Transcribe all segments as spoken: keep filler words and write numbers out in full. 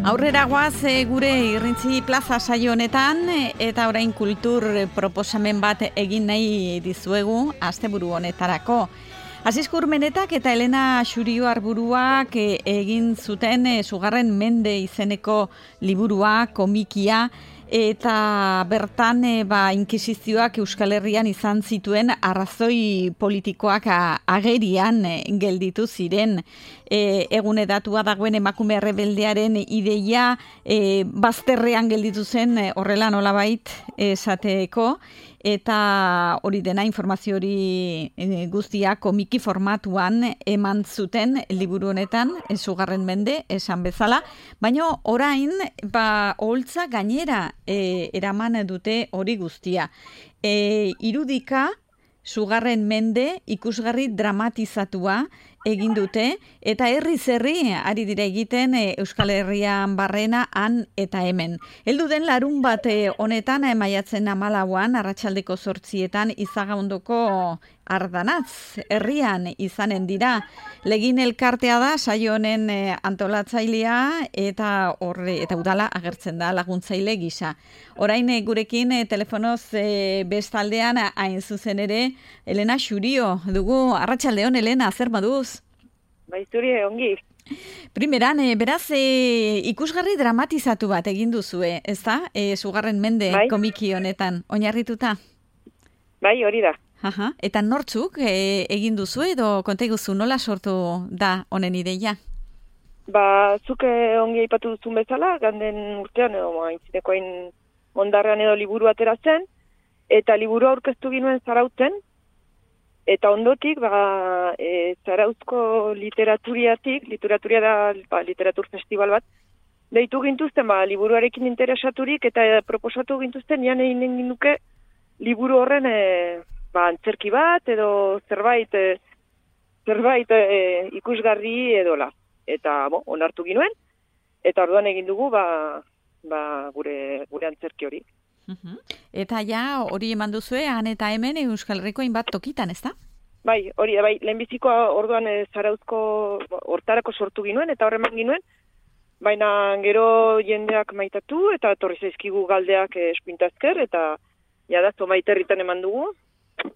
Aurrera goaz e, gure Irrintzi Plaza saio honetan eta orain kultur proposamen bat egin nahi dizuegu asteburu honetarako. Asisko Urmenetak eta Elena Xurio Arburuak e, egin zuten e, Sugarren Mende izeneko liburua, komikia, eta bertan e, ba, inkisizioak Euskal Herrian izan zituen arrazoi politikoak a, agerian e, gelditu ziren. E, egunedatua dagoen emakume rebeldearen ideia e, bazterrean gelditu zen e, horrela nolabait esateko, eta hori dena informazio hori e, guztia komiki formatuan eman zuten liburu honetan, Sugarren Mende, esan bezala, baina orain ba, oholtza gainera e, eraman dute hori guztia. E, irudika, Sugarren Mende ikusgarri dramatizatua egin dute, eta herriz herri ari dira egiten e, Euskal Herrian barrena han eta hemen. Heldu den larun bat honetan e, maiatzen hamalauan, arratsaldeko zortzietan Izagaundoko Ardanatz herrian izanen dira. Legin elkartea da saio honen e, antolatzailea eta horre eta udala agertzen da laguntzaile gisa. Orain e, gurekin e, telefonoz e, bestaldean hain zuzen ere Elena Xurio dugu. Arratsaldeon Elena, zer moduz? Bai, zuri ongi. Primeran, e, beraz, e, ikusgarri dramatizatu bat egin duzue, ezta? E, Sugarren Mende bai? Komiki honetan, oinarrituta? Bai, hori da. Aha. Eta nortzuk e, egin duzu edo konta iguzu nola sortu da honen ideia? Ba, zuk ongi aipatu duzun bezala, ganden urtean, edo aintzineko hain mondarrean edo liburu atera zen, eta liburu aurkeztu ginuen Zarautzen, eta ondotik, ba, e, Zarauzko literaturiatik, literaturia da ba, literatur festival bat, deitu gintuzten, ba, liburuarekin interesaturik, eta proposatu gintuzten, nian egin egin duke liburu horren e, ba, antzerki bat, edo zerbait, e, zerbait e, ikusgarri edola. Eta, bo, onartu ginuen, eta orduan egin dugu, ba, ba, gure, gure antzerki hori. Uh-huh. Eta ja hori eman duzue, han eta hemen Euskal Herriko hainbat tokitan, ezta? Bai, hori da, bai, lehenbiziko orduan e, Zarauzko hortarako sortu ginuen, eta horreman ginuen, baina gero jendeak maitatu, eta torri zaizkigu galdeak e, espintazker, eta jada, zomaiterritan eman dugu,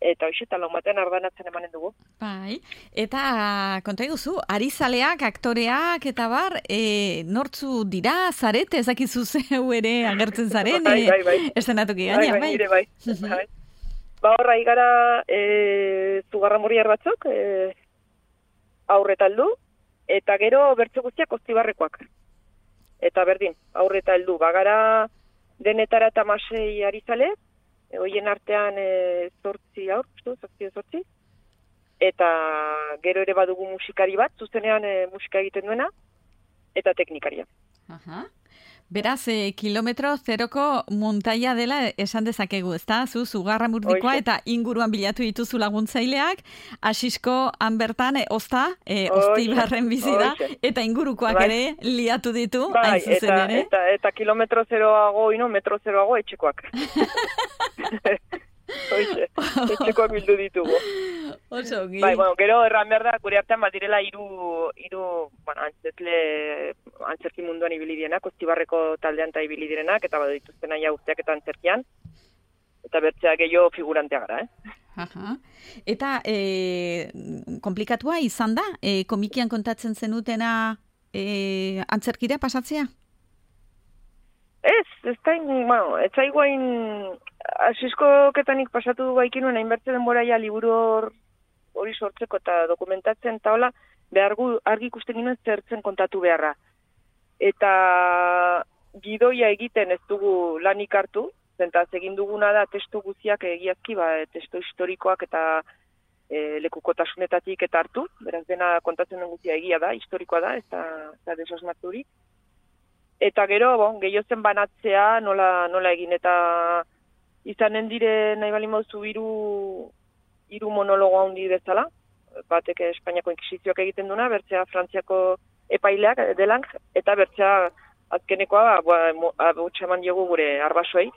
eta hoxe, eta lau batean Ardanatzen emanen dugu. Bai, eta konta eguzu, arizaleak, aktoreak, eta bar, e, nortzu dira, zarete, ezakizu zeu ere agertzen zaren, bai, bai, bai. Estenatuki gaina, bai. Bai, bai, bai. Ba horra, igara e, Zugarramurriar batzuk, e, aurreta heldu, eta gero bertze guztiak Oztibarrekoak. Eta berdin, aurreta heldu, bagara denetara eta masei arizale, hoien artean e, zortzi aur, zortzi zortzi, eta gero ere badugu musikari bat, zuzenean e, musika egiten duena, eta teknikaria. Aha. Beraz, e, kilometro zeroko muntaia dela esan dezakegu, ezta? Zu, Zugarramurdikoa eta inguruan bilatu dituzu laguntzaileak, Asisko han bertan, e, ozta, e, Oztibarren bizi da, eta ingurukoak bai. Ere liatu ditu, bai, hain zuzen eta, ere. Eta, eta kilometro zeroago, ino, metro zeroago etxekoak. Oixe, etxekoak bildu ditugu. Oso, gi. Bai, bueno, gero erran behar da, gure artean bat direla iru, iru bueno, antzerkle, antzerki munduan ibili dienak, Oztibarreko taldean eta ibili direnak, eta badu dituzten aia urteak eta antzerkian, eta bertzea gehiago figurantea gara, eh? Aha. Eta e, komplikatua izan da, e, komikian kontatzen zenutena e, antzerkira pasatzea? Ez, ez da, bueno, ez da iguain, Asisko ketanik pasatu du baikinuen, hainbertze denbora ja liburu hor, hori sortzeko eta dokumentatzen, eta hola, behar gu, argi ikusten ginen zertzen kontatu beharra. Eta gidoia egiten ez dugu lanik hartu, zentaz egin duguna da testu guziak egiazki, ba, testu historikoak eta e, lekukotasunetatik eta hartu, beraz dena kontatzen den guzia egia da, historikoa da, ez da, da desosmaturik. Eta gero, bon, gehiozen banatzea nola, nola egin, eta izanen dire nahi bali mauzu hiru hiru monologo handi bezala, batek Espainiako inkisizioak egiten duna, bertzea Frantziako epaileak delang, eta bertzea azkenekoa abutsa eman diogu gure arbasoei,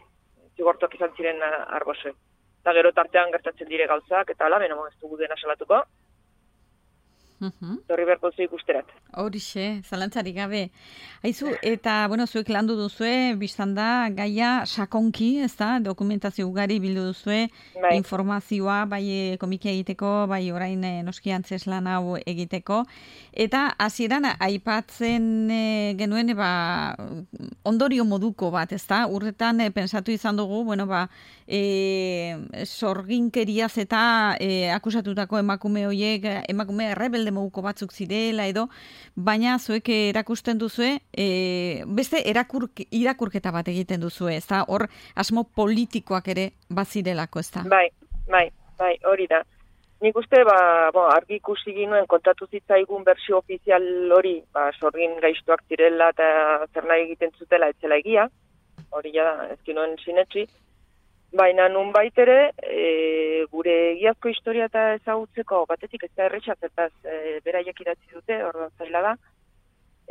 zigortuak izan ziren arbasoei. Eta gero tartean gertatzen dire gauzak, eta hala, beno, ez dugu dena salatuko. Torri beharko zu ikusterat. Horixe, zalantzarik gabe. Aizu, eta, bueno, zuek landu duzue, biztan da, gaia sakonki, ez da, dokumentazio ugari bildu duzue, bai. Informazioa, bai komikia egiteko, bai orain e, noski antzeslan hau egiteko, eta hasieran aipatzen e, genuen, ba, ondorio moduko bat, ez da, urretan e, pensatu izan dugu, bueno, ba, e, sorginkeriaz eta e, akusatutako emakume horiek, emakume rebelde moduko batzuk zirela edo, baina zuek erakusten duzue, e, beste erakurk, irakurketa bat egiten duzue, ez da, hor asmo politikoak ere bazirelako, ez da? Bai, bai, bai, hori da. Nik uste, ba, bo, argi ikusi ginuen kontatu zitzaigun bersio ofizial hori, ba, sorgin gaiztuak zirela eta zer nahi egiten zutela etzela egia, hori ja ezkinuen sinetsi, baina nun baitere, e, gure egiazko historia eta ezagutzeko batetik ez da erretxak, eta e, beraiek idatzi dute, orduan zaila da.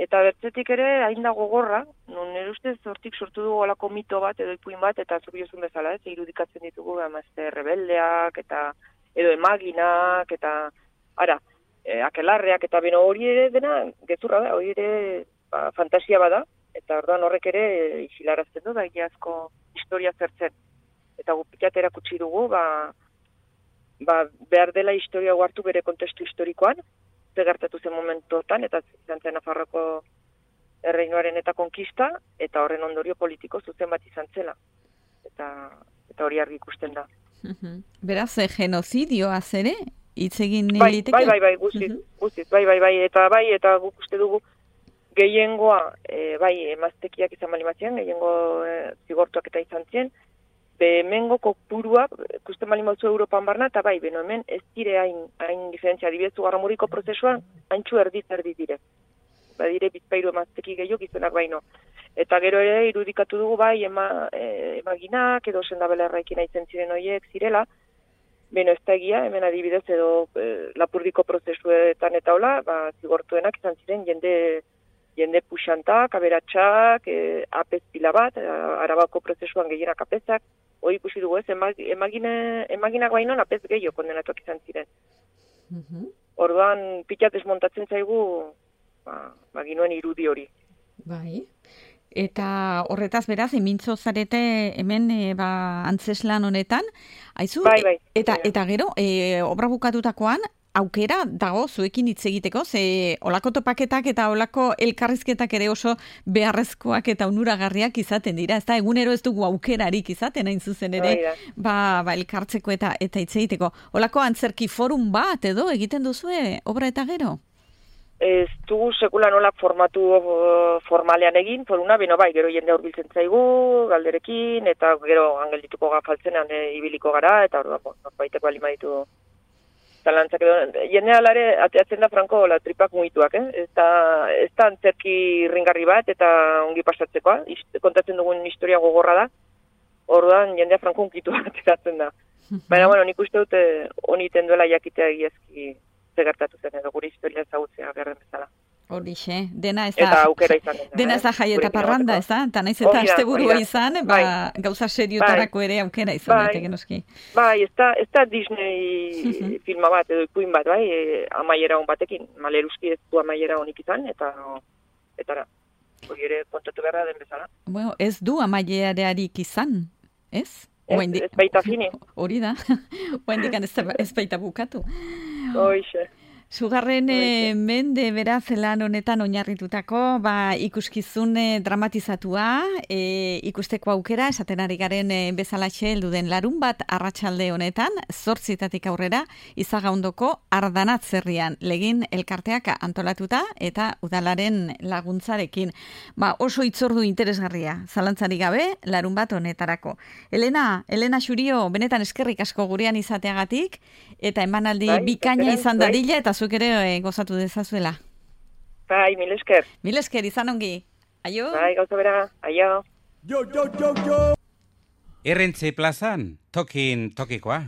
Eta bertzetik ere, hain da gogorra, nun nire ustez hortik sortu dugu olako mito bat, edo ipuin bat, eta zuk jozun bezala, ez, irudikatzen ditugu, emazte rebeldeak, eta edo emaginak, eta ara, e, akelarreak, eta beno hori ere dena, gezurra da, hori ere ba, fantasia bada, eta orduan horrek ere e, isilarazten du, da egiazko historia zertzen. Eta gupikat erakutsi dugu, ba, ba, behar dela historia hartu bere kontestu historikoan, ze gertatu zen momentuotan, eta zantzen Nafarroko erreinuaren eta konkista, eta horren ondorio politiko zuzen bat izan zela. Eta, eta hori argi ikusten da. Beraz, genozidioaz ere, hitz egin bai, liteke? Bai, bai, bai, guztiz, guztiz, bai, bai, bai, eta bai, eta guk uste dugu, gehiengoa, e, bai, emaztekiak izan balimatzen, gehiengo e, zigortuak eta izan zien, hemengo kopuruak, ikusten bali mauzu Europan barna, eta bai, beno hemen ez dire hain, hain diferentzia, dibezu garramuriko prozesuan, haintxu erdiz erdi dire. Ba dire, bizpairu emazteki gehiago gizonak baino. Eta gero ere irudikatu dugu bai, ema, e, emaginak, edo sendabelerraikin aitzen ziren horiek zirela, beno ez da egia, hemen adibidez edo e, lapurdiko prozesuetan eta hola, ba, zigortuenak izan ziren jende jende puxantak, aberatsak, e, apez pila bat, Arabako prozesuan gehienak apezak, hori ikusi dugu ez, emagine, emaginak baino apez gehiago kondenatuak izan ziren. Uh-huh. Orduan, pilat desmontatzen zaigu, ba, ba ginuen irudi hori. Bai. Eta horretaz beraz, emintzo zarete hemen e, ba, antzeslan honetan, aizu, bai, bai. eta, eta gero, e, obra bukatutakoan, aukera dago zuekin hitz egiteko, ze olako topaketak eta olako elkarrizketak ere oso beharrezkoak eta onuragarriak izaten dira. Ez da, egunero ez dugu aukerarik izaten hain zuzen ere, ba, ba elkartzeko eta eta hitz egiteko. Olako antzerki forum bat edo egiten duzue obra eta gero? Ez dugu sekula nolak formatu formalean egin, foruna, beno bai, gero jende hurbiltzen zaigu, galderekin, eta gero angeldituko gafaltzenan e, ibiliko gara, eta hor da, norbaiteko alima ditu talantzak edo, jende alare, ateatzen da franko la tripak muituak, eh? Ez da, ez da antzerki ringarri bat, eta ongi pasatzekoa, kontatzen dugun historia gogorra da, orduan jendea franko unkitu ateratzen da. Baina, bueno, nik uste dute honi tenduela jakitea egiazki zegertatu zen, edo gure historia ezagutzea gerren bezala. Horixe, dena ez da, eta aukera izan dena, dena ez da jai eta parranda, ez da? Eta naiz eta asteburua izan, ba, bai. Gauza seriotarako ere aukera izan, bai. Daiteke noski. Bai, ez da, ez da Disney filma bat, edo ipuin bat, bai, e, amaiera hon batekin, Maleruski ez du amaiera honik izan, eta, eta da, hori ere kontatu beharra den bezala. Bueno, ez du amaierearik izan, ez? Ez, ez baita fini. Hori da, oendikan ez, ez baita bukatu. Hoixe. Sugarren e, mende beraz lan honetan oinarritutako ba, ikuskizun dramatizatua, e, ikusteko aukera, esaten ari garen e, bezalaxe heldu den larun bat arratsalde honetan, zortzitatik aurrera, Izagaundoko Ardanatzerrian legin elkarteak antolatuta eta udalaren laguntzarekin. Ba, oso itzordu interesgarria, zalantzarik gabe, larun bat honetarako. Elena, Elena Xurio, benetan eskerrik asko gurean izateagatik, eta emanaldi bai, bikaina izan bai. Dadila, eta zuk ere e, gozatu dezazuela. Bai, mil esker. Mil esker, izan ongi. Aio? Bai, gauza bera, aio. Jo, jo, jo, jo! Errentze plazan, tokin tokikoa.